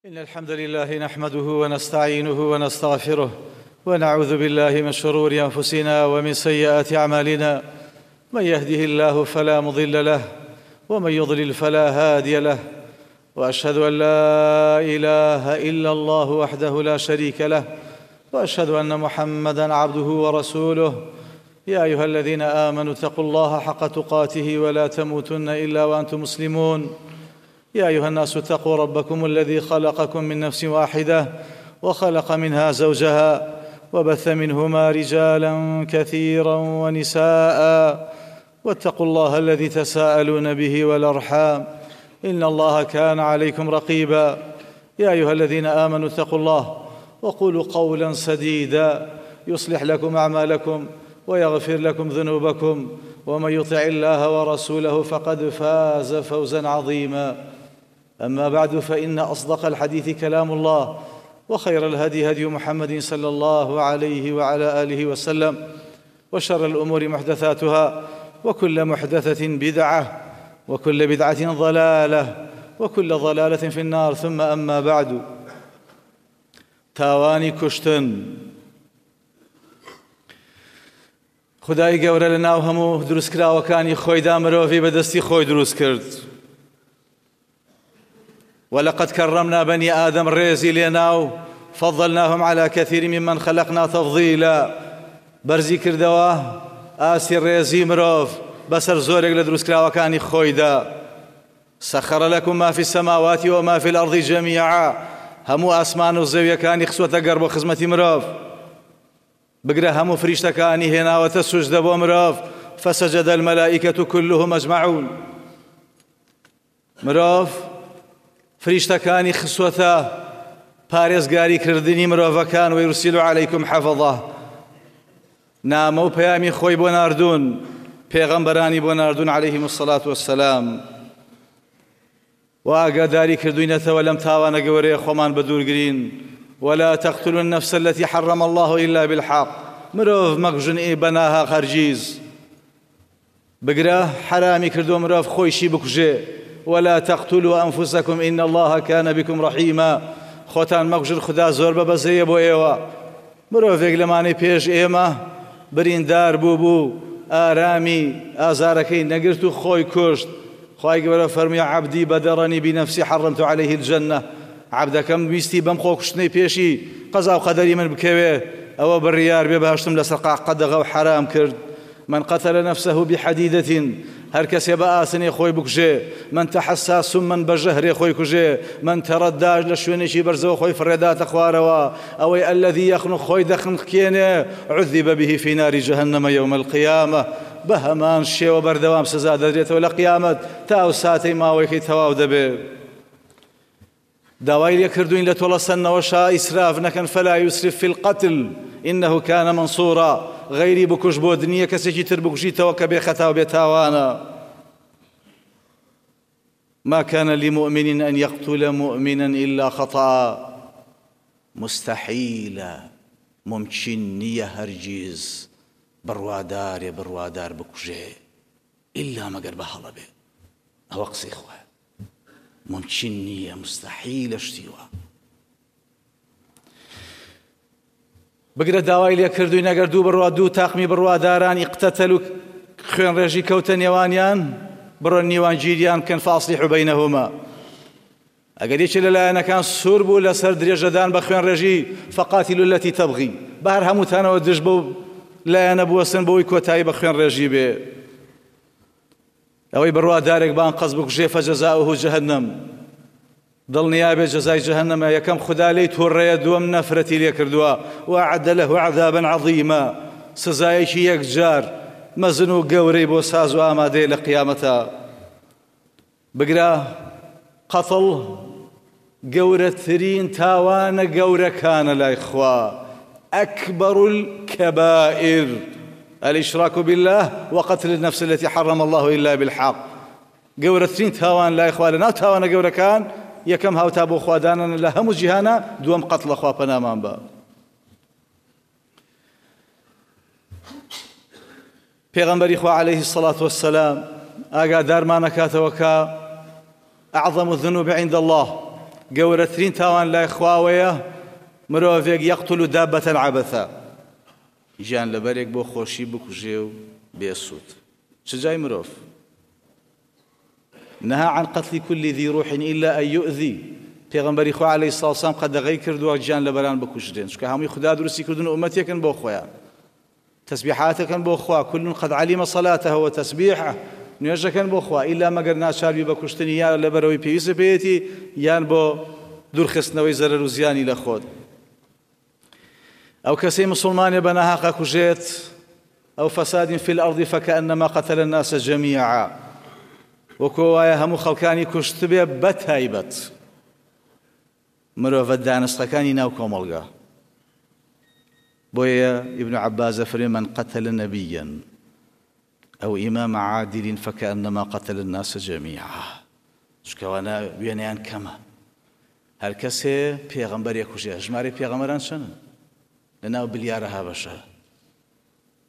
إن الحمد لله نحمده ونستعينه ونستغفره ونعوذ بالله من شرور أنفسنا ومن سيئات أعمالنا من يهده الله فلا مضل له ومن يضلل فلا هادي له وأشهد أن لا إله إلا الله وحده لا شريك له وأشهد أن محمدا عبده ورسوله يا أيها الذين آمنوا اتقوا الله حق تقاته ولا تموتن إلا وأنتم مسلمون يا أيها الناس اتقوا ربكم الذي خلقكم من نفس واحدة وخلق منها زوجها وبث منهما رجالا كثيرا ونساء واتقوا الله الذي تساءلون به والأرحام إن الله كان عليكم رقيبا يا أيها الذين آمنوا اتقوا الله وقولوا قولا سديدا يصلح لكم أعمالكم ويغفر لكم ذنوبكم ومن يطع الله ورسوله فقد فاز فوزا عظيما أما بعد فإن أصدق الحديث كلام الله وخير الهدي هدي محمد صلى الله عليه وعلى آله وسلم وشر الأمور محدثاتها وكل محدثة بدعة وكل بدعة ضلالة وكل ضلالة في النار ثم أما بعد تاوانی کوشتن خدای گەورە لە ناو هەموو دروستکراوەکانی خۆیدا مرۆڤی بەدەستی خۆی دروست کرد ولقد كرمنا بني آدم ڕێزی لێنا و فضلناهم على كثير ممن خلقنا تفضيلا بەرزی کردەوە ئاستی ڕێزی مرۆڤ بەسەر زۆرێک لە دروستکراوەکانی خۆیدا سخر لكم ما في السماوات وما في الأرض جميعا هەموو ئاسمان و زەویەکانی خسوەتە گەڕ بۆ خزمەتی مرۆڤ بگرە هەموو فریشتەکانی هێناوەتە سوجدە بۆ مرۆڤ فسجد الملائكة كلهم أجمعون مرۆڤ فریشتەکانی خسوەتە پارێزگاری کردنی مرۆڤەکان ويرسل عليكم حفظه نامە و پەیامی خۆی بۆ ناردوون پێغەمبەرانی بۆ ناردوون عەلەیهم الصلاة والسلام و ئاگاداری کردوینەتەوە لەم تاوانە گەورەیە خۆمان بەدوورگرین ولا تقتلوا النفس التي حرم الله إلا بالحق مرۆڤ مەکوژن ئێ بەناهەق هەرگیز بگرە حەرامی کردووە مرۆڤ خۆیشی بکوژێ ولا تقتلوا أنفسكم إن الله كان بكم رحيما خۆتان مەکوژن خودا زۆر بە بەزەیە بۆ ئێوە مرۆڤێک لەمانەی پێش ئێمە بریندار بوو بوو ئارامی ئازارەکەی نەگرت و خۆی کوشت خوای گەورە فەرمووی عبدی بدرنی بنفسی حرمت علیه الجنە عەبدەکەم ویستی بەم خۆکوشتنەی پێشی قەزا و قەدەری من بکەوێ ئەوە بڕیار بێ بەهەشتم لەسەر قەدەغە و حەرام کرد من قتل نفسه بحدیدة هەر کەسێ بە ئاسنێ خۆی بکوژێ من تحسا سما بە ژەهرێ خۆی کوژێ من ترداش لە شوێنێکی بەرزەوە خۆی فڕێداتە خوارەوە ئەوەی الذي يخنق خۆی دەخنقێنێ عذب به في نار جهنم يوم القيامة بە هەمان شێوە بەردەوام سزا دەدرێتەوە لە قیامەت تا ئەو ساتەی ماوەیەکەی تەواو دەبێ داوای لێکردوین لە تۆڵەسەندنەوەشا ئیسراف نەکەن فلا یسرف فی القتل انه کان منصورا غەیری بکوژ بۆت نییە کەسێکی تر بکوژیتەوە کە بێ خەتا و بێ تاوانە ما كان لمؤمن أن يقتل مؤمنا إلا خطأ مستحیلە ممکن نییە هەرگیز بڕوادارێ بڕوادار بکوژێ ئیلا مەگەر بە هەڵە بێ ئەوە قسەی خوایە ممکن نییە مستحیلە شتی وا بگرە داوای لێکردوین ئەگەر دوو بڕوا دوو تاقمی بڕواداران ئیقتەتەل و خوێنڕێژی کەوتە نێوانیان بڕۆن نیوانگیریان بکەن فاصلحوا بینهما ئەگەر یەکێ لە لایەنەکان سوور بوو لەسەر درێژەدان بە خوێنڕێژی فقاتلوا التي تبغی بە هەر هەمووتانەوە دژ بەو لایەنە بوەستن بۆی کۆتایی بە خوێنڕێژی بێ ئەوەی بڕوادارێک بان قەز بکوژێ فەجەزاؤه جەهەنەم دڵنیا بێ جەزای جەهەنەمە یەکەم خودا لێی توڕەیە دووەم نەفرەتی لێ کردووە وأعد له عذابا عظیما سزایەکی یەکجار مەزن و گەورەی بۆ ساز و ئامادەیە لە قیامەتا بگرە قەتڵ گەورەترین تاوانە گەورەکانە لای خوا أكبر الكبائر الإشراك بالله وقتل النفس التي حرم الله إلا بالحق گەورەترین تاوان لای خوا لەناو تاوانە گەورەکان یەکەم هاوتا بۆ خوا دانانە لە هەموو جیهانە دووەم قەتڵە خوا پەنامان بە پێغەمبەری خوا عەلەیه الصلاة والسلام ئاگادارمان ئەکاتەوە کە أعظم الذنوب عند الله. گەورەترین تاوان لای خواوەیە مرۆڤێک یەقتل دابەتە عەبەثا، گیانلەبەرێک بۆ خۆشی بکوژێ و بێ سوود. چ جای مرۆڤ. نهى عن قتل كل ذي روح إلا أن يؤذي، پێغەمبەری خوا عەلەیهی سڵاو سلام قەدەغەی کردووە گیانلەبەران بکوژرێن، چونکە هەمووی خودا دروستی کردوون و ئوممەتێکن بۆ خۆیان. تەسبیحاتەکەن بۆ خوا، کل قد علم صلاته وتسبیحه، نوێژەکەن بۆ خوا، ئیلا مەگەر ناچار بی بە کوشتنی یا لەبەرئەوەی پێویستە پێیەتی یان بۆ دوورخستنەوەی زەرەر و زیانی لە خۆت. ئەو کەسەی مسوڵمانێ بە ناهەق ئەکوژێت، ئەو فساد فی الارض فکأنما قتل الناس جمیعا، وەکو وایە هەموو خەڵکانی کوشتبێ بە تایبەت مرۆڤە دانسقەکانی ناو کۆمەڵگا. بۆیە ابن عباس دەفەرموێ من قتل نبیا او امام عادل فکأنما قتل الناس جمیعا، چونکە ئەوانە وێنەیان کەمە. هەر کەسێ پێغەمبەرێ کوژێ، ژمارەی پێغەمبەران چەنن لەناو بلیارەها بەشەر؟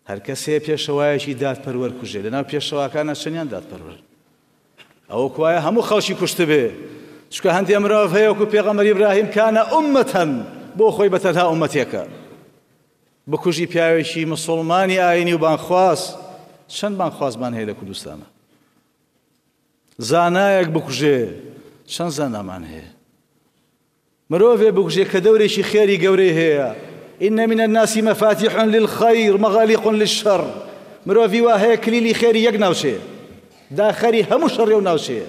هەر کەسێ پێشەوایەکی دادپەروەر کوژێ، لەناو پێشەواکانە چەنیان دادپەروەر؟ ئەوە کوایە هەموو خەڵکی کوشتبێ، چونکە هەندێ مرۆڤ هەیە وەکو پێغەمبەر ئیبراهیم کانە ئوممەتەن، بۆ خۆی بە تەنها ئوممەتێکە. بکوژی پیاوێکی مسوڵمانی ئاینی و بانگخواز، چەند بانگخوازمان هەیە لە کوردستانە؟ زانایەک بکوژێ، چەند زانامان هەیە؟ مرۆڤێ بکوژێ کە دەورێکی خێری گەورەی هەیە، ان من الناس مفاتیح للخیر مغالیق للشر، مرۆڤی وا هەیە کلیلی خێری یەک ناوچەیە، داخەری هەموو شەڕی ئەو ناوچەیە.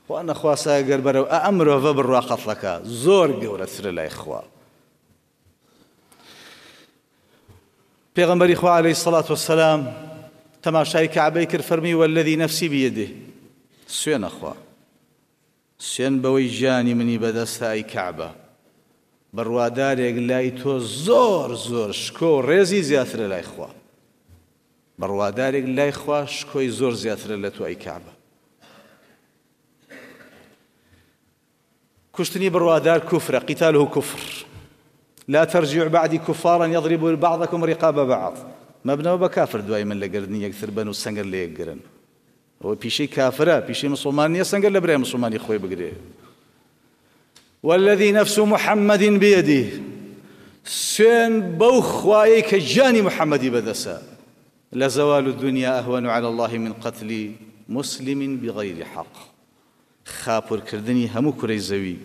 خوا نەخواستە گەر بەرەو ئەم مرۆڤە بڕوا قەتڵەکە زۆر گەورەترە لای خوا. پێغەمبەری خوا عەلەیهی سەڵات وەسەلام تەماشای کەعبەی کرد فەرمی والذی نەفسی بیەدێ، سوێنە خوا، سوێن بەوەی گیانی منی بەدەستە ئەی کەعبە، بڕوادارێک لای تۆ زۆر زۆر شکۆ و ڕێزی زیاترە لای خوا، بڕوادارێک لای خوا شکۆی زۆر زیاترە لە تۆ ئەی کەعبە. کوشتنی بڕوادار کوفرە، قتاله کفر، لا ترجعوا بعدی کفارا یضرب بعضکم رقاب بعض، مەبنەوە بە کافر دوای من لە گەردنی یەکتر بەن و سەنگەر لە یەک گرن. ئەوە پیشەی کافرە، پیشەی مسوڵمان نییە سەنگەر لە برای مسوڵمانی خۆی بگرێ. والذی نفس محمد بیده، سوێن بەو خوایەی کە گیانی محەممەدی بەدەسە، لزوال الدنیا اهون علی الله من قتل مسلم بغیر حق، خاپورکردنی هەموو کورەی زەوی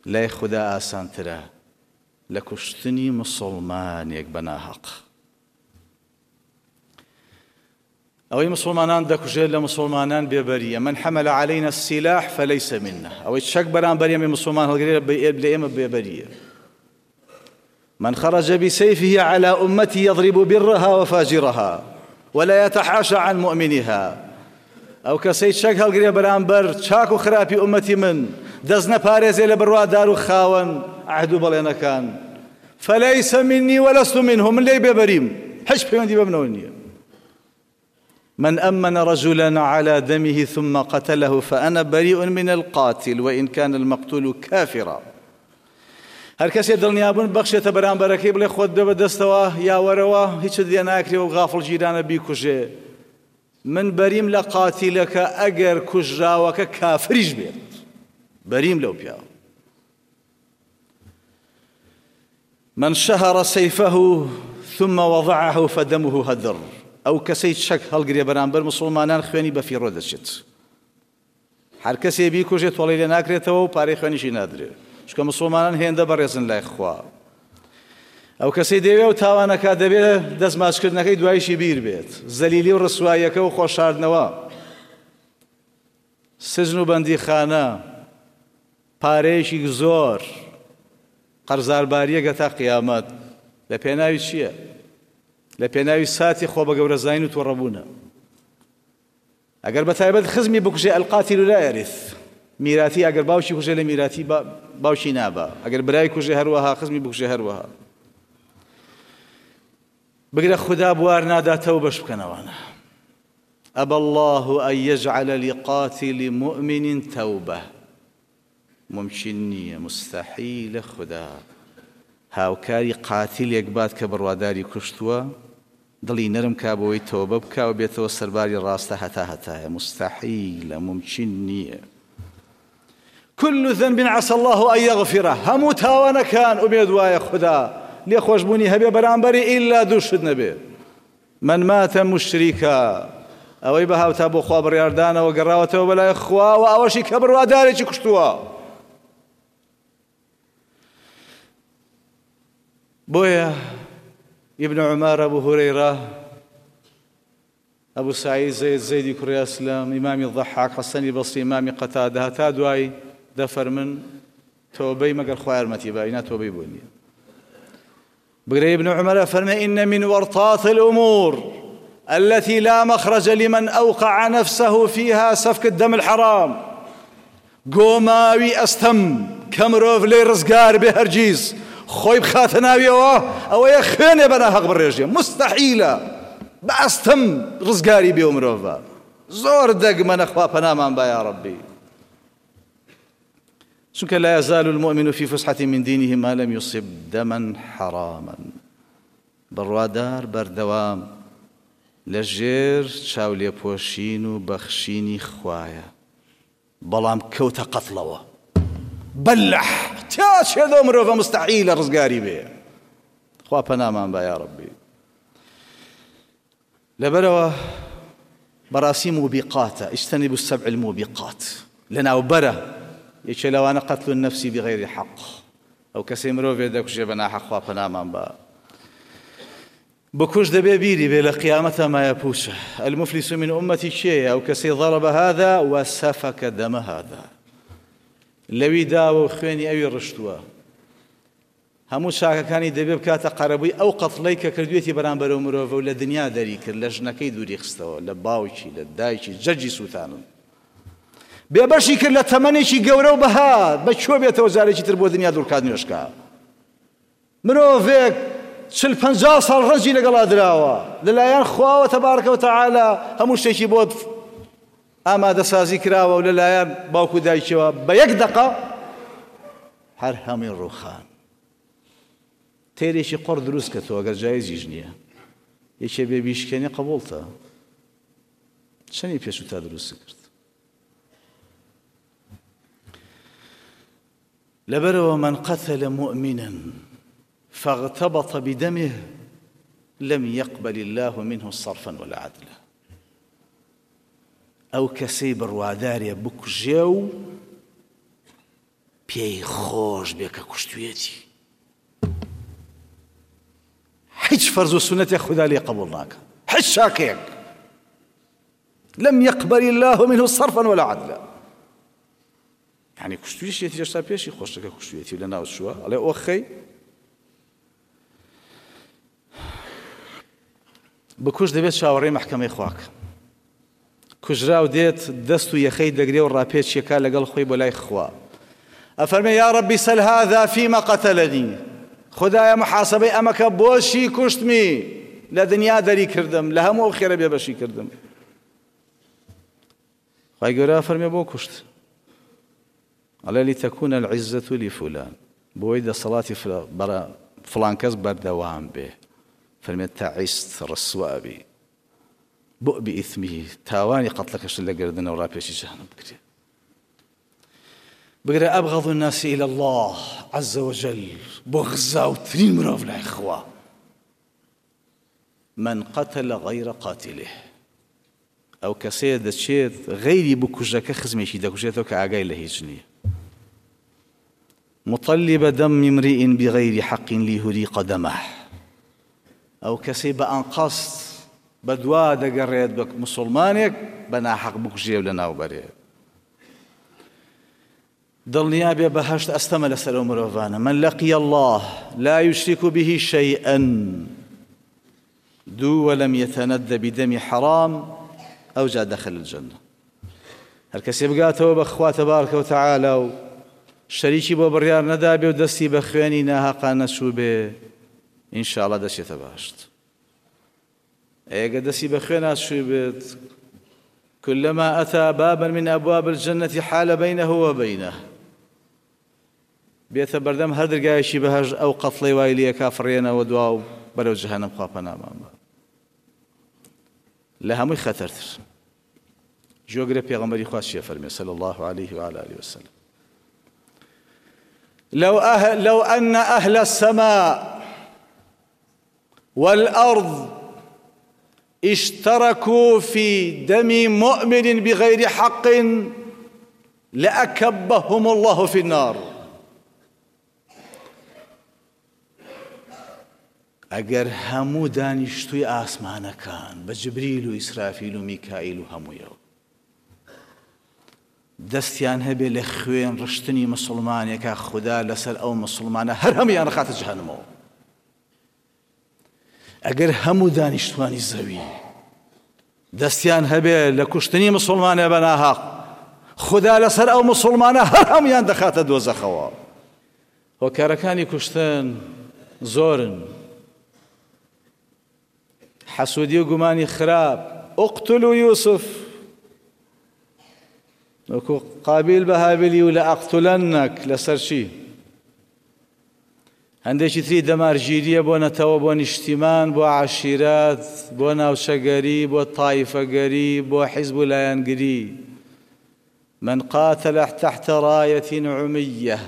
لای خودا ئاسانترە لە کوشتنی مسوڵمانێک بە ناهەق. ئەوەی مسوڵمانان دەکوژێت لە مسوڵمانان بێبەریە، من حمل علینا السلاح فلیس منا، ئەوەی چەک بەرامبەر ئێمەی مسوڵمان هەڵگرێت لە ئێمە بێبەریە. من خرج بسيفه على أمتي يضرب برها وفاجرها ولا يتحاشى عن مؤمنها، ئەو کەسەی چەک هەڵگرێ بەرامبەر چاک و خراپی ئومەتی من، دەست نەپارێزێ لە بڕوادار و خاوەن عەهد و بەڵێنەکان، فليس مني ولست منه، من لێی بێبەریم، هیچ پەیوەندی بە منەوە نییە. من أمن رجلا على دمه ثم قتله فأنا بريء من القاتل وإن كان المقتول كافرا، هەر کەسێ دڵنیابوون بەخشێتە بەرامبەرەکەی بڵێ خۆت بێ بەدەستەوە یا وەرەوە هیچت لێ ناکرێ و غافڵ گیرانە بیکوژێ، من بەریم لە قاتیلەکە ئەگەر کوژراوەکە کافریش بێت، بەریم لەو پیاوە. من شهر سیفه ثم وضعه فدمه هدر، ئەو کەسەی چەک هەڵگرێ بەرامبەر مسوڵمانان خوێنی بەفیڕۆ دەچێت، هەر کەسێ بیکوژێ تۆڵەی لێ ناکرێتەوە و پارەی خوێنیشی نادرێ، چونکە مسوڵمانان هێندە بەڕێزن لای خوا. ئەو کەسەی دەیەوێ ئەو تاوانەکە دەبێ دەست ماچکردنەکەی دوایشی بیر بێت، زەلیلی و ڕسواییەکە و خۆشاردنەوە، سجن و بەندیخانە، پارەیەکی زۆر، قەرزاربارییەک هەتا قیامەت، لە پێناوی چییە؟ لە پێناوی ساتی خۆ بەگەورەزانین و توڕەبوونە. ئەگەر بە تایبەت خزمی بکوژێ القاتل لا یرث، میراتی ئەگەر باوکی کوژێ لە میراتی باوکی نابا، ئەگەر برای کوژێ هەروەها، خزمی بکوژێ هەروەها. بگرە خودا بوار نادا تەوبەش بکەنەوانە. أبى الله أن يجعل لقاتل مؤمن توبة، مومکین نییە موستەحیلە خودا هاوکاری قاتیلێک بات کە بڕواداری کوشتووە دڵی نەرم کا بۆی تۆبە بکا و بێتەوە سەرباری ڕاستە هەتا هەتایە موستەحیلە مومکین نییە. كل ذنب عسى الله أن يغفره، هەموو تاوانەکان ئومێد وایە خودا لێخۆشبوونی هەبێ بەرامبەری ئیلا دوو شت نەبێ، من مات مشرکا، ئەوەی بە هاوتا بۆ خوا بڕیاردانەوە گەڕاوەتەوە بەلای خوا و ئەوەشی کە بڕوادارێکی کوشتووە. بۆیە ابن عمر، ابو هريرە، ئەبو سەعید زەید زەیدی کوڕی ئەسلەم، ئیمامی ضەحاک، حەسەنی بەسری، ئیمامی قەتادە هەتا دوایی دەفەرمن تۆبەی مەگەر خوا یارمەتی با ئینا تۆبەی بۆ نییە. بگرە ابن عمر ئەفەرمێ إن من ورطات الأمور التي لا مخرج لمن أوقع نفسه فيها سفك الدم الحرام، گۆماوی ئەستەم کە مرۆڤ لێی ڕزگار بێ هەرگیز خۆی بخاتە ناویەوە ئەوەیە خوێنێ بە ناهەق بڕێژێ، موستەحیلە بە ئەستەم ڕزگاری بێ و مرۆڤە زۆر دەگمەنە خوا پەنامان با یا ڕەبی. چونکە لا يزال المؤمن في فسحة من دينه ما لم يصب دما حراما، بڕوادار بەردەوام لە ژێر چاولێپۆشین و بەخشینی خوایە. بەڵام کەوتە قەتڵەوە بەلح تا چێ لەو مرۆڤە مستحیلە ڕزگاری بێ خوا پەنامان با یا ڕەبی. لەبەرەوە بەڕاستی موبیقاتە، اجتنبوا السبع الموبقات، لەناوبەرە یەکێ لەوانە قتل النفس بغیر حق، ئەو کەسەی مرۆڤێ دەکوژێ بە ناحەق خوا پەنامان با. بکوژ دەبێ بیری بێ لە قیامەتا مایە پوچە. المفلس من امتی کێیە؟ ئەو کەسەی ضرب هذا وسفک دم هذا، لەوی داوە و خوێنی ئەوی ڕشتووە. هەموو چاکەکانی دەبێ بکاتە قەرەبووی ئەو قەتڵەی کە کردوێتی بەرامبەر ئەو مرۆڤە و لە دنیا دەری کرد، لە ژنەکەی دووری خستەوە، لە باوکی، لە دایکی، جەرگی سووتانن. بێبەشی کرد لە تەمەنێکی گەورە و بەها، بە کوێ بێتەوە جارێکی تر بۆ دنیا دوورکات نوێژکا. مرۆڤێک چل پەنجا ساڵ ڕەنجی لەگەڵا دراوە لەلایەن خواوە تەبارکە و تەعالا هەموو شتێکی بۆ ئامادەسازی کراوە و لەلایەن باوک و دایکیەوە بە یەک دەقە هەر هەمووی ڕووخان. تێرێکی قڕ دروست کە تۆ ئەگەر جایزیش نییە یەکێ بێ بیشکێنێ قبوڵتە چەنی پێشوو تا دروست کرد. لەبەرئەوە من قتل مؤمنا فاغتبط بدمه لم یقبل اللە منه صرفا ولا عدلا، ئەو کەسەی بڕوادارێ بکوژێ و پێی خۆش بێ کە کوشتویەتی هیچ فەرز و سونەتێک خودا لێ قبوڵ ناکا، هیچ چاکەیەک لم يقبل الله منه صرفا ولا عدلا. یانی کوشتویشیەتی هێشتا پێشی خۆشەکە کوشتویەتی و لەناو چووە ئەڵێ ئۆخەی بکوژ دەبێت چاوەڕێی مەحکەمەی خواکە. کوژراو دێت دەست و یەخەی دەگرێ و ڕاپێچیەکە لەگەڵ خۆی بۆ لای خوا ئەفەرمێ یا ڕەبی سەل هذا فیما قتلنی، خدایە محاسبەی ئەمەکە بۆچی کوشتمی، لە دنیا دەری کردم، لە هەموو ئەو خێرە بێبەشی کردم. خوای گەورە ئەفەرمێ بۆ کوشت؟ ئەڵێ لتكون العزة لفلان، بۆی دەسەڵاتی فڵان کەس بەردەوام بێ. فەرمێ تعست ڕسوا بی بؤ بإثمه، تاوانی قەتڵەکەشت لە گەردنە و ڕاپێچی جەهەنەم بکرێ. بگرە أبغض الناس إلى الله عز وجل، بغزاوترین مرۆڤ لای خوا من قتل غیر قاتله، ئەو کەسەیە دەچێت غەیری بکوژەکە خزمێکی دەکوژێتەوە کە ئاگای لە هیچ نییە. مطلب دم امرئ بغیر حق لیهریق دمه، ئەو کەسەی بە ئەنقەست بەدوا دەگەڕێت بە موسڵمانێک بە ناحەق بکوژێ و لەناو بەرێ. دڵنیا بێ بەهەشت ئەستەمە لەسەر ئەو مرۆڤانە. من لقی اللە لا یشرک به شیئا دوو ولم یتند بدم حرام ئەوجا دخل الجنە. هەر کەسێ بگاتەوە بە خوا تبارک و تعالی و شەریکی بۆ بڕیار نەدابێ و دەستی بە خوێنی ناهەقا نەچووبێ ان شاء اللە دەچێتە بەهەشت. ئەگەر دەستی بە خوێنا چووبێت كلما أتى بابا من أبواب الجنة حال بينه وبينه، بێتە بەردەم هەر دەرگایەکی بەهەشت ئەو قەتڵەی وای لێکا فڕێنەوە دوا و بەرەو جەهەنەم خوا پەنامان بە. لە هەمووی خەتەرتر جۆگرە پێغەمبەری خوا چیە فەرمێ صلی الله علیه و علی آله وسلم. لو, أهل لو أن أهل السماء والأرض اشتركوا في دم مؤمن بغير حق لأكبهم الله في النار. ئەگەر هەموو دانیشتووی ئاسمانەکان بە جبریل و ئیسرافیل و میکائیل و هەموویەوە دەستیان هەبێ لە خوێن ڕشتنی مسوڵمانێکا خودا لەسەر ئەو مسوڵمانە هەر هەموویان ڕخاتە جەهەنمەوە. ئەگەر هەموو دانیشتوانی زەوی دەستیان هەبێ لە کوشتنی مسوڵمانێ بە ناهەق خودا لەسەر ئەو مسوڵمانە هەر هەموویان دەخاتە دۆزەخەوە. هۆکارەکانی کوشتن زۆرن. حەسوودی و گومانی خراپ، اقتلوا یوسف، وەکو قابیل بە هابیلی و لەئەقتلەنەک لەسەر چی؟ هەندێکی تری دەمارگیرییە بۆ نەتەوە، بۆ نیشتیمان، بۆ عەشیرەت، بۆ ناوچەگەری، بۆ تایفەگەری، بۆ حیزب و لایەنگری. من قاتل تحت رایە عمیە،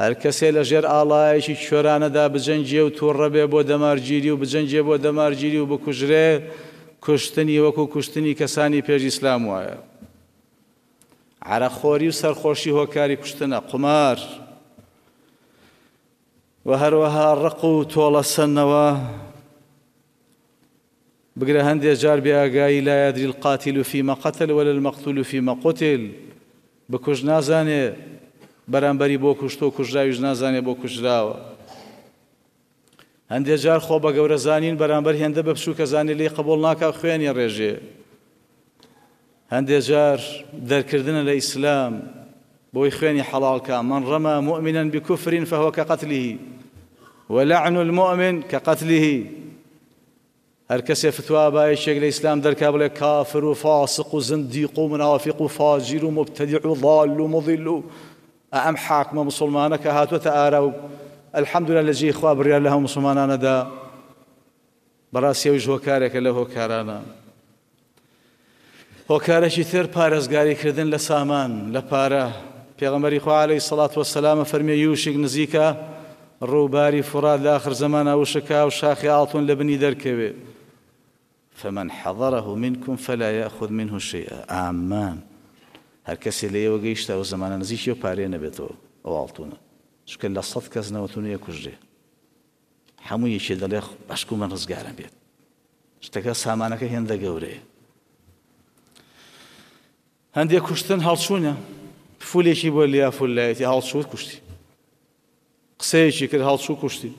هەر کەسێ لە ژێر ئاڵایەکی کوێرانەدا بجەنگێ و توڕە بێ بۆ دەمارگیری و بجەنگێ بۆ دەمارگیری و بکوژرێ، کوشتنی وەکو کوشتنی کەسانی پێش ئیسلام وایە. عەرەقخۆری و سەرخۆشی هۆکاری کوشتنە، قومار و هەروەها ڕق و تۆڵەسەندنەوە، بگرە هەندێ جار بێ ئاگایی لا یدری القاتل فیما قتل ولا المقتول فیما قتل، بکوژ نازانێ بەرامبەری بۆ کوشتوە و کوژراویش نازانێ بۆ کوژراوە. هەندێ جار خۆ بە گەورە زانین بەرامبەر هێندە بە بچووکە زانێ لێی قبوڵ ناکا و خوێنی ڕێژێ. هەندێ جار دەرکردنە لە ئیسلام بۆی خوێنی حەڵاڵ کا، من رمى مؤمنا بکفر فهو كقتله ولعن المؤمن كقتله. هەر کەسێ فتوا با یەکێک لە ئیسلام دەرکا بڵێ کافر و فاسق و زندیق و منافق و فاجیر و مبتدع و ضال و مضل و ئەم حاکمە مسوڵمانە کە هاتووەتە ئارا و الحمدلله لە جێی خوا بڕیار لە هەموو مسوڵمانانە دا، بەڕاستی ئەویش هۆکارێکە لەو هۆکارانە. هۆکارێکی تر پارێزگاری کردن لە سامان، لە پارە. پێغەمبەری خوا عەلەیهی سەڵات وەسەلام فەرمی یوشک نزیکە ڕووباری فوڕات لە ئاخر زەمانا وشک کا و شاخی ئاڵتون لە بنی دەرکەوێ. فمن حضره منکم فلا یأخذ منه شیئا ئامان هەر کەسێ لە ئێوە گەیشتە ئەو زەمانە نزیکی ئەو پارەیە نەبێتەوە ئەو ئاڵتونە، چونکە لە سەد کەس 99 کوژرێ. هەموو یەکێ دەڵێ بەشکو من ڕزگارم بێت. شتەکە سامانەکە هێندە گەورەیە. هەندێک کوشتن هەڵچوونە، فولێکی بۆ لیا فولایەتی هەڵچوو کوشتی، قسەیەکی کرد هەڵچوو کوشتی،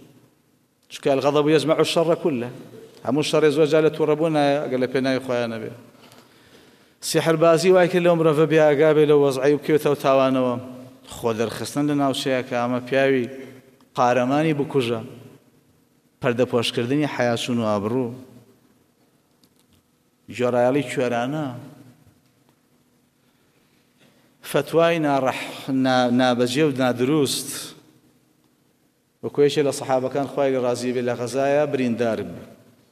چونکە الغضب يجمع الشر كله، هەموو شەڕێ زۆر جار لە تووڕەبوون نایە ئەگەر لە پێناوی خۆیان نەبێ. سیحربازی وای کرد لەو مرۆڤە بێ ئاگا بێ لەو وەزعەی و بکەوێتەوە تاوانەوە. خۆ دەرخستن لە ناوچەیە کە ئەمە پیاوی قارەمانی بکوژە. پەردەپۆشکردنی حەیاچوون و ئابڕوو، گوێڕایەڵی کوێرانە، فەتوای نابەجێ و نادروست، وەکو یەکێ لە سەحابەکان خوای لێ ڕازی بێ لە غەزایە بریندار بوو،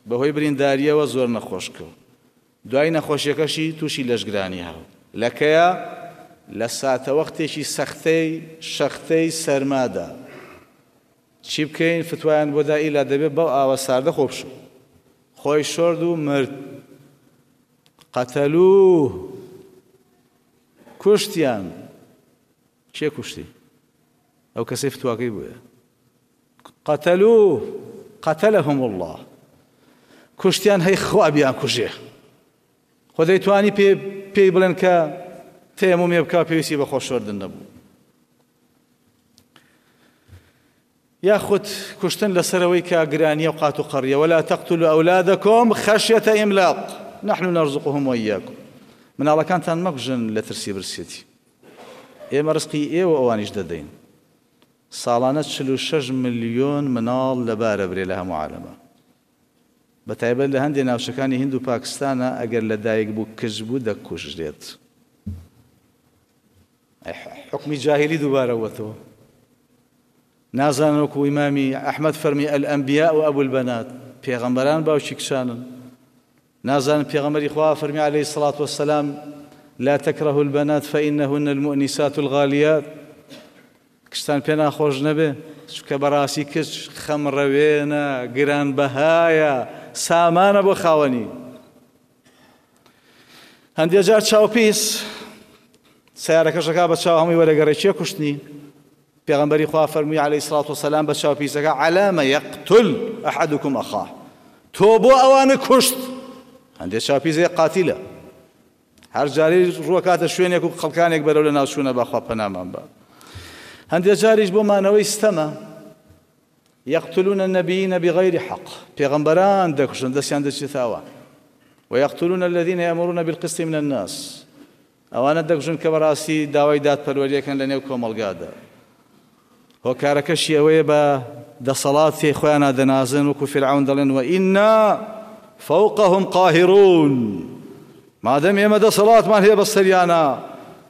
بەهۆی بریندارییەوە زۆر نەخۆش کەوت، دوای نەخۆشیەکەشی تووشی لەشگرانی هات، لە کەیا؟ لە ساتەوەختێکی سەختەی شەختەی سەرمادا. چی بکەین فتوایان بۆ دا ئیلا دەبێ بەو ئاوە ساردە خۆ بشۆ خۆی شۆرد و مرد قتلوه کوشتیان کێ کوشتی ئەو کەسەی فتواکەی بووە قتلوه قتلهم الله کوشتیان هەی خوا بیان کوژێ خۆ دەیتوانی پێ پێی بڵێن کە تەیەمومێ بکا پێویستی بە خۆشۆردن نەبوو یاخود کوشتن لەسەر ئەوەی کە گرانیە و قات و قەڕیە، ولا تقتلوا اولادکم خشیة املاق نحن نرزقهم وإیاکم، مناڵەکانتان مەکوژن لە ترسی برسێتی، ئێمە ڕزقی ئێوە ئەوانیش دەدەین. ساڵانە 46 ملیۆن مناڵ لەبارە برێ لە هەموو عالەمە، بەتایبەت لە هەندێ ناوچەکانی هند و پاکستانە ئەگەر لەدایک بوو کچ بوو دەکوژرێت. حوکمی جاهیلی دووبارە بووەتەوە. نازانن وەکو ئیمامی ئەحمەد فەرمی الانبیاء و ابو البنات، پێغەمبەران باوکی کچانن. نازانن پێغەمبەری خوا فەرمی علیه الصلاة والسلام لا تكرهوا البنات فإنهن المؤنسات الغالیات. کچتان پێ ناخۆش نەبێ چونکە بەڕاستی کچ خەمڕەوێنە گرانبەهایە سامانە بۆ خاوەنی. هەندێ جار چاوپیس سیارەکەشەکە بە چاو هەمووی وەرەگەڕێ کێ کوشتنی؟ پێغەمبەری خوا فەرمووی عەلەیهی سڵات وسەلام بە چاوپیسەکە عەلامە یەقتل ئەحەدکم ئەخاه تۆ بۆ ئەوانە کوشت. هەندێ چاوپیس هەیە قاتیلە هەر جارەی ڕووەکاتە شوێنێک و خەڵکانێک بەرەو لە ناوچوونە بەخوا پەنامان بە. هەندێ جاریش بۆ مانەوەی ستەمە یقتلون النبیین بغیر حق پێغەمبەران دەکوژن دەستیان دەچێتە ئەوان ويقتلون الذين يأمرون بالقسط من الناس ئەوانە دەکوژن کە بەڕاستی داوای دادپەروەریەکەن لە نێو کۆمەڵگادا. هۆکارەکەشی ئەوەیە بە دەسەڵاتی خۆیانا دەنازن وەکو فیرعەون دەڵێن وئینا فوقهم قاهرون مادەم ئێمە دەسەڵاتمان هەیە بەسەریانا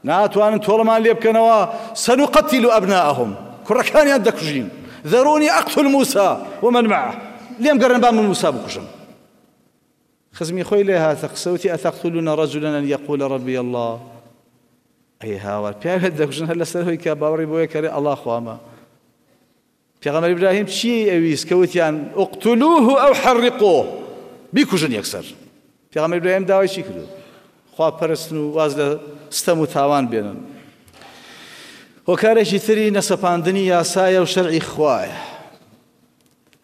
ناتوانن تۆڵەمان لێ بکەنەوە سنقتل أبناءهم کوڕەکانیان دەکوژین ذروني أقتل موسى ومن معه لێم گەڕێن با من موسا بکوژم. خزمی خۆی لێ هاتە قسە وتی ئەتەقتلون رجلا ان یقول ربی اللە ئەی هاوار پیاوێت دەکوژن هەر لەسەر هۆی کە باوەڕی بۆیە کەرێ ئەڵا خوامە. پێغەمبەر ئیبراهیم چی ئەویست کە وتیان اقتلوه او حرقوه بیکوژن یەکسەر. پێغەمبەر ئیبراهیم داوای چی کردو؟ خوا پەرستن و واز لە ستەم و تاوان بێنن. هۆکارێکی تری نەسەپاندنی یاسایە و شەرعی خوایە.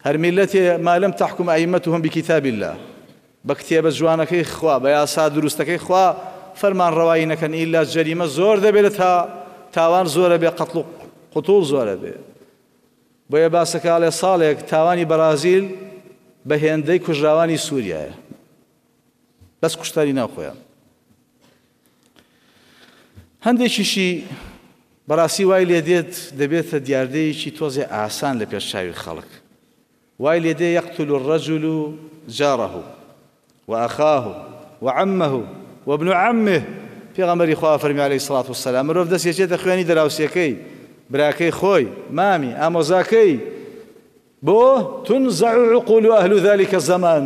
هەر میللەتێ ما لم تحکم ائمتهم بکتاب اللە بە کتێبە جوانەکەی خوا بە یاسا دروستەکەی خوا فەرمانڕەوایی نەکەن ئیلا جەریمە زۆر دەبێت لە تا تاوان زۆرە بێ قەتڵ و قوتوڵ زۆرە بێ بۆیە باسەکە ئەڵێ ساڵێک تاوانی بەرازیل بە هێندەی کوژراوانی سووریایە بەس کوشتاری ناو خۆیان. هەندێکیشی بەڕاستی وای لێ دێت دەبێتە دیاردەیەکی تۆزێ ئاسان لە پێش چاوی خەڵک وای لێ دێ یقتل الرجل جاره وأخاه وعمه وابن عمه پێغەمبەری خوا فەرمی علیه الصلاة والسلام مرۆڤ دەست یەچێتە خوێنی دراوسێکەی براکەی خۆی مامی ئامۆزاکەی بۆ تنزع عقول أهل ذلك الزمان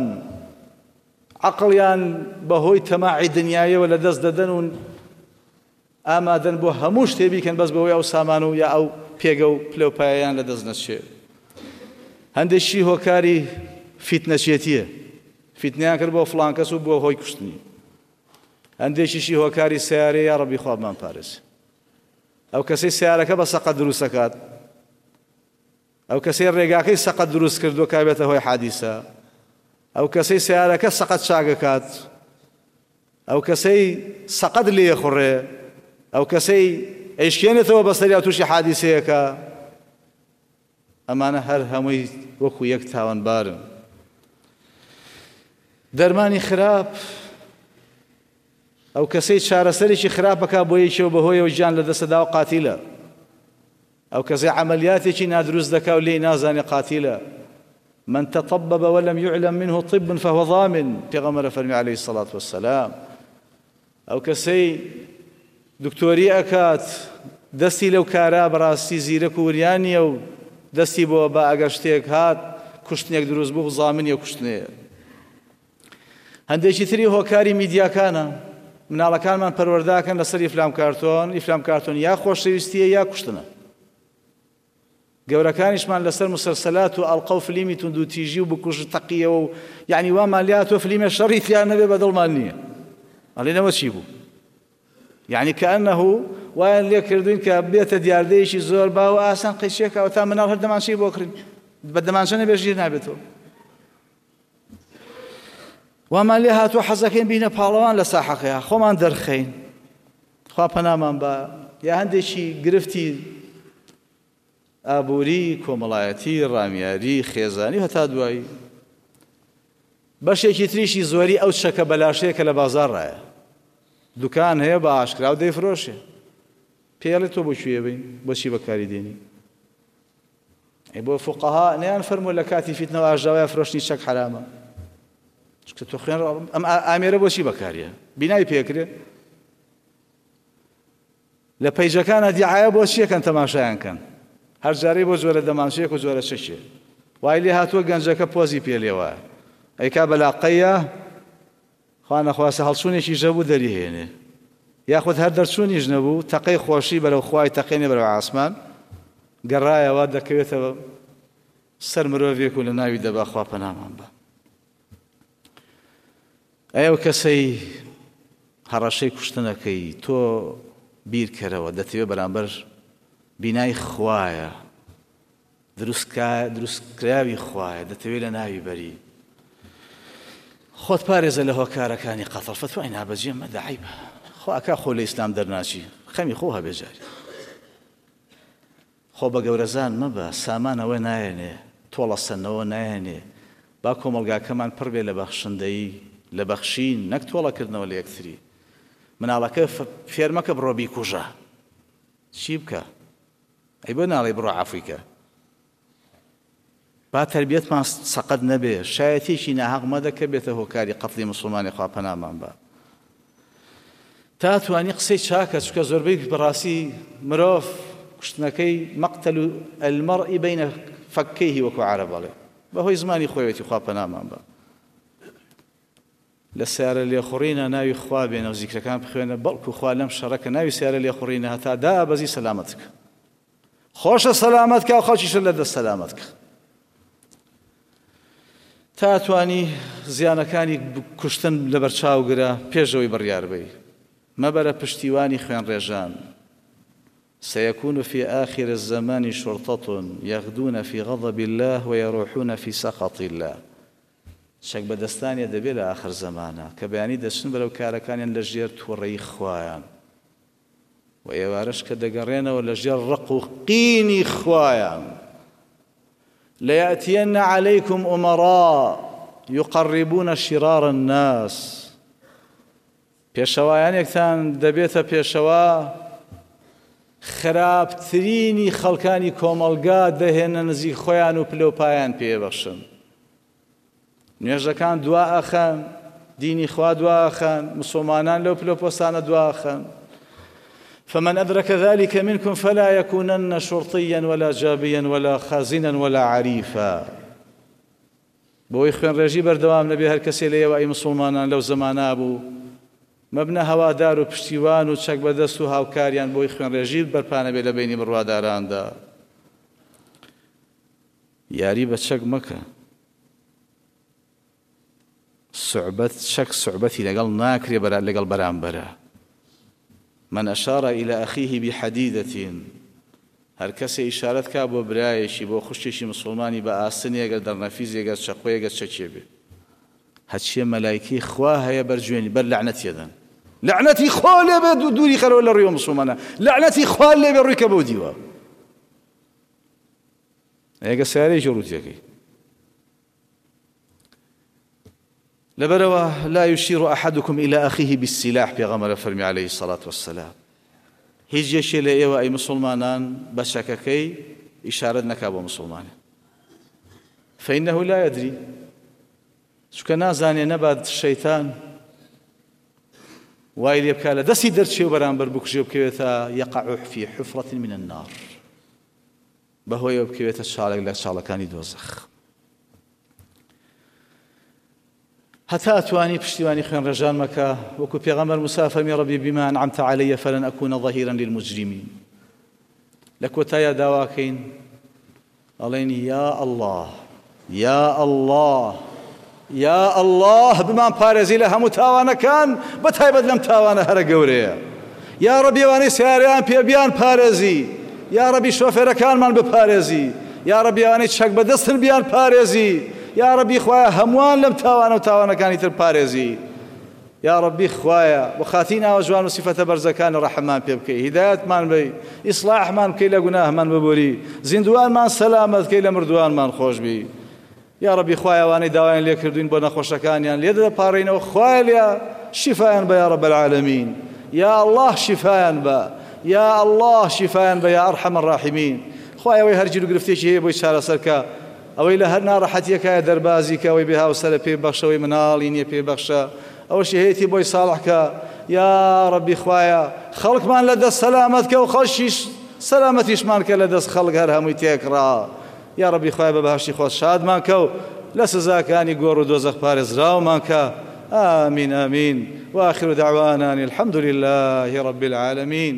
عەقڵیان بەهۆی تەماعی دنیایەوە لەدەست دەدەن و ئامادەن بۆ هەموو شتێ بیکەن بەس بەوەی ئەو سامان و یا ئەو پێگە و پلە و پایەیان لەدەست نەچێ. هەندێکی هۆکاری فیتنەچێتیە، فیتنەیان کرد بۆ فڵان کەس و بووە هۆی کوشتنی. هەندێکیشی هۆکاری سەیارەیە، یا ڕەبی خوا بمان پارێزێ. ئەو کەسەی سەیارەکە بە سەقەت دروست دەکات، ئەو کەسەی ڕێگاکەی سەقەت دروست کردووە کە بێتە هۆی حادیسە، ئەو کەسەی سەیارەکە سەقەت چاکەکات، ئەو کەسەی سەقەت لێخوڕێ، ئەو کەسەی ئەیشکێنێتەوە بەسەریا تووشی حادیسەیەکە، ئەمانە هەر هەمووی وەکو یەک تاوانبارن. دەرمانی خراپ ئەو کەسەی چارەسەرێکی خراپەکە بۆ یەکێ و بەهۆیەوە گیان لەدەستەدا و قاتیلە. ئەو کەسەی عەمەلیاتێکی نادروست دەکا و لێی نازانێ قاتیلە، من تطبب ولم یعلم منه طب فهو ضامن، پێغەمبەر فەرمی علیە الصلوة والسلام ئەو کەسەی دکتۆری ئەکات دەستی لەو کارە بەڕاستی زیرەک و وریا نییە و دەستی بۆ با ئەگەر شتێک هات کوشتنێک دروست بوو زامنی ئەو کوشتنەیە. هەندێکی تری هۆکاری میدیاکانە، مناڵەکانمان پەروەردەکەن لەسەر ئیفلام کارتۆن، ئیفلام کارتۆن یا خۆشەویستیە یا کوشتنە. گەورەکانیشمان لەسەر مسلسلات و ئەڵقە و فلیمی توندوتیژی و بکوژ تەقیەوە و یعنی وامان لێهاتووە فلیمێ شەڕی تیا نەبێ بە دڵمان نییە. ئەڵێنەوە چی بوو؟ یعنی کەئەنه وایان لێ کردوین کە بێتە دیاردەیەکی زۆر باو و ئاسان قەیچێکە تا مناڵ هەر دەمانچەی بۆ کڕین بە دەمانچە نەبێ ژیر نابێتەوە. وامان لێ هاتووە حەزەکەین بینە پاڵەوان لە ساحەکەیا خۆمان دەرخەین خوا پەنامان بە یا هەندێکی گرفتی ئابووری کۆمەڵایەتی ڕامیاری خێزانی هەتا دوایی بەشێکی تریشی زۆری ئەو چەکە بەلاشەیە کە لە بازاڕایە دوکان هەیە بە ئاشکرا و دەیفرۆشێ پێڵێ تۆ بۆ کوێ بین بۆچی بەکاری دێنی ئەی بۆ فوقەها نەیان فەرمووە لە کاتی فیتنە و ئاژاوەیا فرۆشتنی چەک حەرامە؟ چونکە تۆ خوێن ئەم ئامێرە بۆچی بەکاریە؟ بینای پێکرێ؟ لە پەیجەکانە دیعاە بۆ چیەکەن تەماشایان کەن هەر جارەی بۆ جۆرە دەمانچەیەک و جۆرە چەکێ وای لێ هاتووە گەنجەکە پۆزی پێ لێوە ئەیکا بەلاقەیە خوا نەخواستە هەڵچوونێکیش هەبوو دەریهێنێ یاخود هەر دەرچوونیش نەبوو تەقەی خۆشی بەرەو خوای تەقێنێ بەرەو عاسمان. گەڕایەوە دەکەوێتەوە سەر مرۆڤێک و لە ناوی دەبا خوا پەنامان بە. ئەی ئەو کەسەی هەڕەشەی کوشتنەکەی تۆ بیرکەرەوە دەتەوێ بەرامبەر بینای خوایە دروستکراوی خوایە دەتەوێ لە ناوی بەری خۆت پارێزە لە هۆکارەکانی قەتڵ فتوای نابەجێ مەدە عەیبە خۆ ئەکا خۆ لە ئیسلام دەرناچی خەمی خۆ هەبێ جاری خۆ بە گەورەزان مەبە، سامان ئەوە نایەنێ، تۆڵەسەندنەوە نایەنێ، با کۆمەڵگاکەمان پڕ بێ لە بەخشندەیی، لە بەخشین، نەک تۆڵەکردنەوە لە یەکتری. مناڵەکە فێر مەکە بڕۆ بیکوژە. چی بکە؟ ئەی بۆ ناڵێی بڕۆ عەفوی کە؟ با تەربیەتمان سەقەت نەبێ، شایەتیەکی ناهەق مەدە کە بێتە هۆکاری قەتڵی موسڵمانی خوا پەنامان با. تا توانی قسەی چاکە چونکە زۆربەی بەڕاستی مرۆڤ کوشتنەکەی مقتل المرء بین فکیه وەکو عەرەب ئەڵێ بەهۆی زمانی خۆیەتی خوا پەنامان با. لە سیارە لێخوڕینە ناوی خوا بێنە و زیکرەکان بخوێنە بەڵکو خوا لەم شەڕە کە ناوی سیارە لێخوڕینە هەتا دابەزی سەلامەت کە. خۆشە سەلامەت کە و خەڵکیشە لە دەست سەلامەت کە. تا توانی زیانەکانی کوشتن لەبەرچاو گرە پێش ئەوەی بڕیار بەی. مەبەرە پشتیوانی خوێنڕێژان. سيكون في آخر الزمان شرطة يغدون في غضب الله ويروحون في سخط الله. چەک بەدەستانیە دەبێ لە ئاخر زەمانە کە بەیانی دەچن بەرەو کارەکانیان لە ژێر توڕەیی خوایان و ئێوارەش کە دەگەڕێنەوە لە ژێر ڕق و قینی خوایان ليأتين عليكم أمراء يقربون شرار الناس پێشەوایانێکتان دەبێتە پێشەوا خراپترینی خەڵکانی کۆمەڵگا دەهێنە نزیک خۆیان و پلەوپایان پێبەخشن نوێژەکان دوا ئەخەن، دینی خوا دوا ئەخەن، مسوڵمانان لەو پلە پۆستانە دوا ئەخەن. فمن أدرك ذلك منكم فلا يكونن شرطيا ولا جابيا ولا خازنا ولا عريفا. بۆی خوێنڕێژی بەردەوام نەبێ هەر کەسێ لە ئێوە ئەی مسوڵمانان لەو زەمانە بوو مەبنە هەوادار و پشتیوان و چەک بەدەست و هاوکاریان بۆی خوێنڕێژی بەرپا نەبێ لە بەینی بڕواداراندا. یاری بە چەک مەکە سوعبەت چەک سوعبەتی لەگەڵ ناکرێ بەرا لەگەڵ بەرامبەرە من اشار الى اخیه بحدیدە هەر کەسێ ئیشارەت کا بۆ برایەکی بۆ خوشکێکی مسوڵمانی بە ئاسنێ گەر دەرنەفیزێ گەر چەقۆیە گەر چەکێ بێ هەچیە مەلایکەی خوا هەیە بەر جوێنی بەر لەعنەتی ئەدەن لەعنەتی خوا لێ بێ دووری خەرەوە لە ڕووی مسوڵمانە لەعنەتی خوا لێ بێ ڕووی کە بەو دیوە ئێگە سیارەیەکی ڕووتیەکەی لەبەرەوە لا يشير أحدكم إلى أخيه بالسلاح پێغەمبەرە فەرمی عليه الصلاة والسلام هیچ یەکێ لە ئێوە ئەی مسلمانان بە چەکەکەی ئیشارەت نەکا بۆ مسلمانە فإنه لا يدري چونکە نازانێ نەبات شەیتان وای لێ بکا لە دەستی دەرچێ و بەرامبەر بکوژێ بکەوێتە يقع في حفرة من النار بەهۆیەوە بکەوێتە چاڵێک لە چاڵەکانی دۆزەخ. هەتا ئەتوانی پشتیوانی خوێنڕێژان مەکە، وەکو پێغەمبەر موسا فەرمی ربی بما انعمت علی فلن اکون ظهیرا للمجرمین. لە کۆتاییا داواکەین ئەڵێن یا اللە یا اللە یا اللە بمان پارێزی لە هەموو تاوانەکان بە تایبەت لەم تاوانە هەرە گەورەیە یا ڕەبی ئەوانەی سیارەیان پێ بیان پارێزی یا ڕەبی شۆفێرەکانمان بپارێزی یا ڕەبی ئەوانەی چەک بەدەستن بیان پارێزی یا ڕەبی خوایە هەمووان لەم تاوانە و تاوانەکانی تر پارێزی یاڕەبی خوایە بۆ خاتری ناوە جوان و سیفەتە بەرزەکانت ڕەحممان پێ بکەی هیدایەتمان بەی ئیسڵاحمان بکەی لە گوناهمان ببوری زیندوانمان سەلامەت کەی لە مردوانمان خۆش بی یاڕەبی خوایە ئەوانەی داوایان لێ کردوین بۆ نەخۆشەکانیان لێ دەپاڕێینەوە خوایە لێ شیفایان بە یاڕەب العالمین یا اللە شیفایان بە یا اللە شیفایان بە یا ارحم الراحمین خوایە ئەوەی هەر گیروگرفتێکی هەیە بۆی چارەسەر کە ئەوەی لە هەر ناڕەحەتیەکایە دەربازی کە، ئەوەی بێ هاوسەرە پێی بەخشە، ئەوەی مناڵی نیە پێی بەخشە، ئەوەشی هەیەتی بۆی ساڵح کە، یاڕەبی خوایە خەڵکمان لە دەست سەلامەت کە و خەڵکیش سەلامەتیشمان کە لە دەست خەڵک هەر هەمووی تێکڕا، یاڕەبی خوایە بە بەهەشتی خۆت شادمان کە و لە سزاکانی گۆڕ و دۆزەخ پارێزراومان کە، آمین آمین وآخر دعوانا ان الحمد لله رب العالمین.